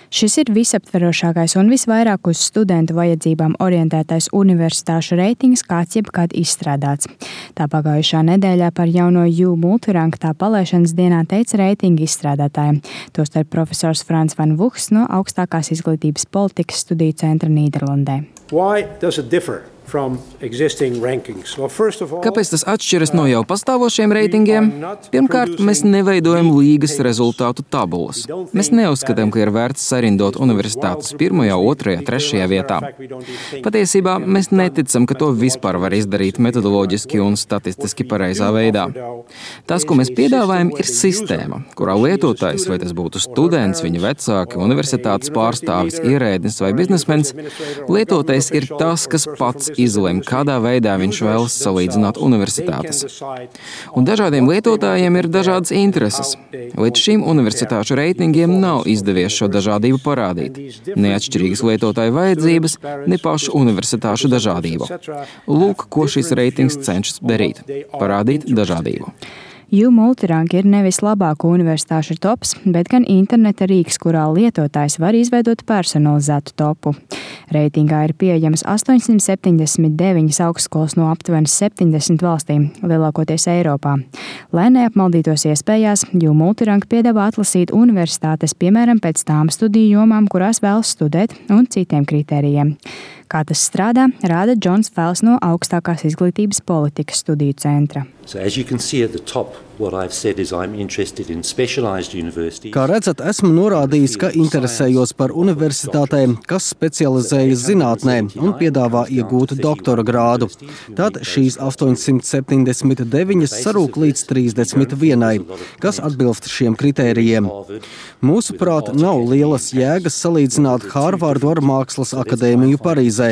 Šis ir visaptverošākais un visvairāk uz studentu vajadzībām orientētais universitāšu reitings, kāds jebkad izstrādāts. Tā pagājušā nedēļā par jauno U multirank tā palaišanas dienā teica reitinga izstrādātājiem, tostarp profesors Frans van Vughs no Augstākās izglītības politikas studiju centra Nīderlandē. Kāpēc tas atšķiras no jau pastāvošiem reitingiem? Pirmkārt, mēs neveidojam līgas rezultātu tabulas. Mēs neuzskatām, ka ir vērts sarindot universitātes 1., 2., 3. vietā. Patiesībā mēs neticam, ka to vispār var izdarīt metodoloģiski un statistiski pareizā veidā. Tas, ko mēs piedāvājam, ir sistēma, kurā lietotājs, vai tas būtu students, viņa vecāki, universitātes pārstāvis, ierēdnis vai biznesmens, lietotājs ir tas, kas pats izlem, kādā veidā viņš vēlas salīdzināt universitātes. Un dažādiem lietotājiem ir dažādas intereses. Līdz šim universitāšu reitingiem nav izdevies šo dažādību parādīt. Neatšķirīgas lietotāju vajadzības, ne pašu universitāšu dažādību. Lūk, ko šis reitings cenšas darīt – parādīt dažādību. U multirank ir nevis labāko universitāšu tops, bet gan interneta rīks, kurā lietotājs var izveidot personalizētu topu. Reitingā ir pieejamas 879 augstskolas no aptuveni 70 valstīm, lielākoties Eiropā. Lai neapmaldītos iespējās, U multirank piedāvā atlasīt universitātes, piemēram, pēc tām studiju jomām, kurās vēlas studēt, un citiem kritērijiem. Kā tas strādā, rāda Džons Fels no Augstākās izglītības politikas studiju centra. Kā redzat, esmu norādījis, ka interesējos par universitātēm, kas specializējas zinātnē un piedāvā iegūt doktora grādu. Tad šīs 879 sarūk līdz 31, kas atbilst šiem kritērijiem. Mūsuprāt, nav lielas jēgas salīdzināt Hārvardu ar Mākslas akadēmiju Parīzē.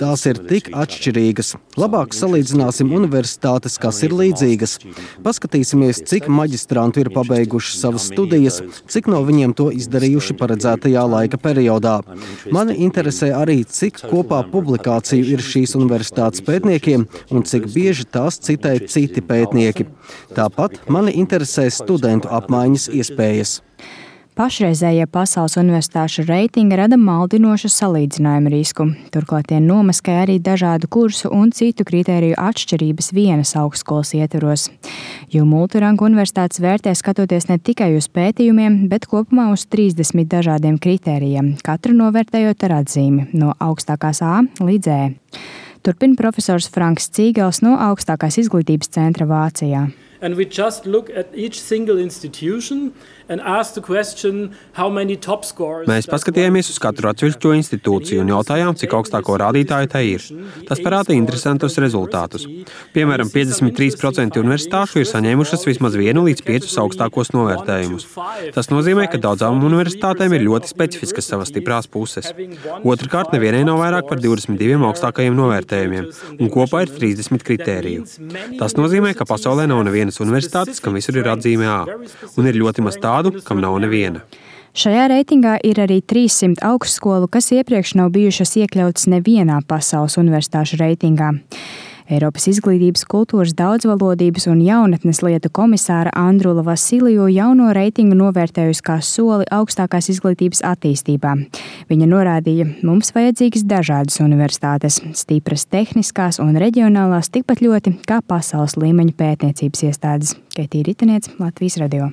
Tās ir tik atšķirīgas. Labāk salīdzināsim universitātes, kas ir līdzīgas. Paskatīsimies, cik maģistrantu ir pabeiguši savas studijas, cik no viņiem to izdarījuši paredzētajā laika periodā. Mani interesē arī, cik kopā publikāciju ir šīs universitātes pētniekiem un cik bieži tās citē citi pētnieki. Tāpat mani interesē studentu apmaiņas iespējas. Pašreizējie pasaules universitāšu reitingi rada maldinošu salīdzinājumu risku. Turklāt tie nomaskē arī dažādu kursu un citu kritēriju atšķirības vienas augstskolas ietvaros. U multirank universitātes vērtē skatoties ne tikai uz pētījumiem, bet kopumā uz 30 dažādiem kritērijiem, katru novērtējot ar atzīmi no augstākās A līdz E. Turpina profesors Franks Cīgels no Augstākās izglītības centra Vācijā. And we just look at each single institution and ask the question how many top scores. Mēs paskatījāmies uz katru atsevišķo institūciju un jautājām, cik augstāko rādītāju tai ir. Tas parāda interesantus rezultātus. Piemēram, 53% universitāšu ir saņēmušas vismaz 1 līdz 5 augstākos novērtējumus. Tas nozīmē, ka daudzām universitātēm ir ļoti specifiskas savas stiprās puses. Otrkārt, nevienai nav vairāk par 22 augstākajiem novērtējumiem, un kopā ir 30 kritēriju. Tas nozīmē, ka pasaulē nav nevienas universitātes, kam visur ir atzīme A, un ir ļoti maz tādu, kam nav neviena. Šajā reitingā ir arī 300 augstskolu, kas iepriekš nav bijušas iekļautas nevienā pasaules universitāšu reitingā. Eiropas izglītības, kultūras, daudzvalodības un jaunatnes lietu komisāra Andrula Vasiliju jauno reitingu novērtējusi kā soli augstākās izglītības attīstībā. Viņa norādīja, mums vajadzīgas dažādas universitātes, stipras tehniskās un reģionālās tikpat ļoti kā pasaules līmeņa pētniecības iestādes. Keitija Ritaniece, Latvijas radio.